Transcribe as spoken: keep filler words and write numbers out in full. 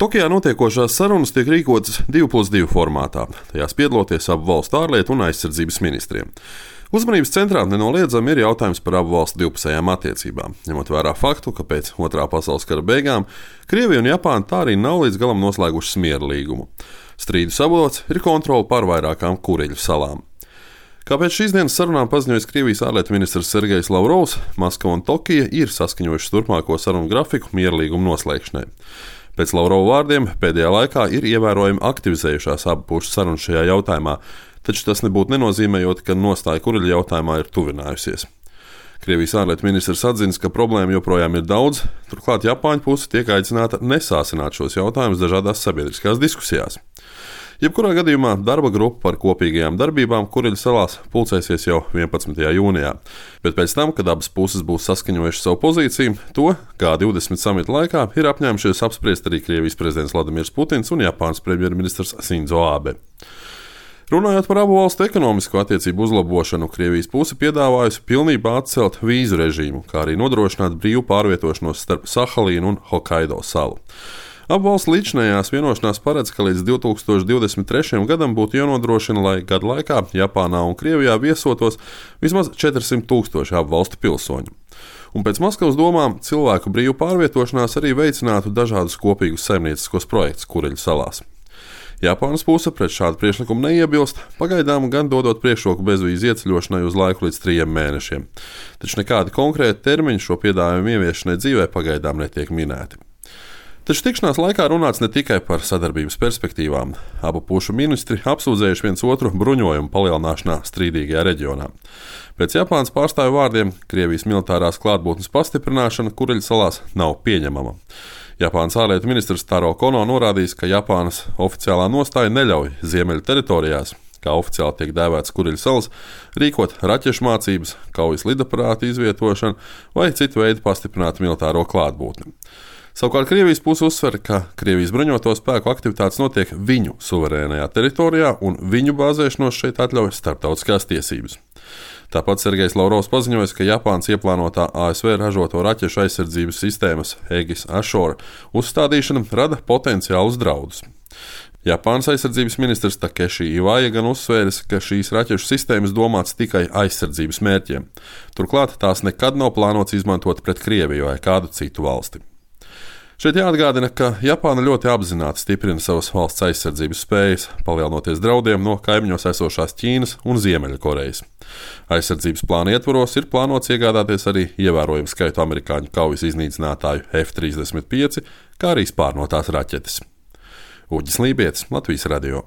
Tokijā notiekošās sarunas tiek rīkotas divi plus divi formātā, tajās piedaloties abu valstu ārlietu un aizsardzības ministriem. Uzmanības centrā nenoliedzami ir jautājums par abu valstu divpusējām attiecībām, ņemot vērā faktu, ka pēc Otrā pasaules kara beigām Krievija un Japāna tā arī nav līdz galam noslēgušas miera līgumu. Strīdus avots ir kontrole pār vairākām Kureļu salām. Kā pēc šīs dienas sarunām paziņojis Krievijas ārlietu ministrs Sergejs Lavrovs, Maskava un Tokija ir saskaņojušas turpmāko sarunu grafiku miera līgumu noslēgšanai. Pēc Lavrova vārdiem pēdējā laikā ir ievērojami aktivizējušās abu pušu sarunas šajā jautājumā, taču tas nebūtu nenozīmējot, ka nostāja Kureļu jautājumā ir tuvinājusies. Krievijas ārlietu ministrs atzīst, ka problēmu joprojām ir daudz, turklāt Japāņu puse tiek aicināta nesāsināt šos jautājumus dažādās sabiedriskās diskusijās. Jebkurā gadījumā darba grupa par kopīgajām darbībām Kureļu salās pulcēsies jau vienpadsmitajā jūnijā, bet pēc tam, kad abas puses būs saskaņojušas savu pozīciju, to G divdesmit samita laikā ir apņēmušies apspriest arī Krievijas prezidents Vladimirs Putins un Japānas premjerministrs Sindzo Abe. Runājot par abu valstu ekonomisko attiecību uzlabošanu, Krievijas puse piedāvājusi pilnībā atcelt vīzu režīmu, kā arī nodrošināt brīvu pārvietošanos starp Sahalīnu un Hokaido salu. Abu valstu līdzinājās vienošanās paredz, ka līdz divi tūkstoši divdesmit trešajam gadam būtu jānodrošina, lai gadu laikā Japānā un Krievijā viesotos vismaz četrsimt tūkstoši abu valstu pilsoņu. Un pēc Maskavas domām cilvēku brīvu pārvietošanās arī veicinātu dažādus kopīgus saimnieciskos projektus Kureļu salās. Japānas puse pret šādu priekšlikumu neiebilst, pagaidām gan dodot priekšroku bezvīzu ieceļošanai uz laiku līdz trim mēnešiem. Taču nekādi konkrēti termiņi šo piedāvājumu ieviešanai dzīvē pagaidām netiek minēti. Taču tikšanās laikā runāts ne tikai par sadarbības perspektīvām. Abu pušu ministri apsūdzējuši viens otru bruņojumu palielināšanā strīdīgajā reģionā. Pēc Japānas pārstāvju vārdiem Krievijas militārās klātbūtnes pastiprināšana Kureļu salās nav pieņemama. Japānas ārlietu ministrs Taro Kono norādījis, ka Japānas oficiālā nostāja neļauj ziemeļu teritorijās, kā oficiāli tiek dēvēts Kureļu salas, rīkot raķešu mācības, kaujas lidaparātu izvietošanu vai citu veidu pastiprinātu militāro klātbūtni. Savukārt Krievijas puse uzsver, ka Krievijas bruņoto spēku aktivitātes notiek viņu suverēnajā teritorijā un viņu bāzēšanos šeit atļauj starptautiskās tiesības. Tāpat Sergejs Lavrovs paziņoja, ka Japānas ieplānotā A S V ražoto raķešu aizsardzības sistēmas Aegis Ashore uzstādīšana rada potenciālus draudus. Japānas aizsardzības ministrs Takeshi Iwai gan uzsvēris, ka šīs raķešu sistēmas domāts tikai aizsardzības mērķiem. Turklāt tās nekad nav plānots izmantot pret Krieviju vai kādu citu valsti. Šeit jāatgādina, ka Japāna ļoti apzināti stiprina savas valsts aizsardzības spējas, palielinoties draudiem no kaimiņos esošās Ķīnas un Ziemeļkorejas. Aizsardzības plāna ietvaros ir plānots iegādāties arī ievērojumu skaitu amerikāņu kaujas iznīcinātāju F trīsdesmit pieci, kā arī spārnotās raķetes. Uģis Lībietis, Latvijas radio.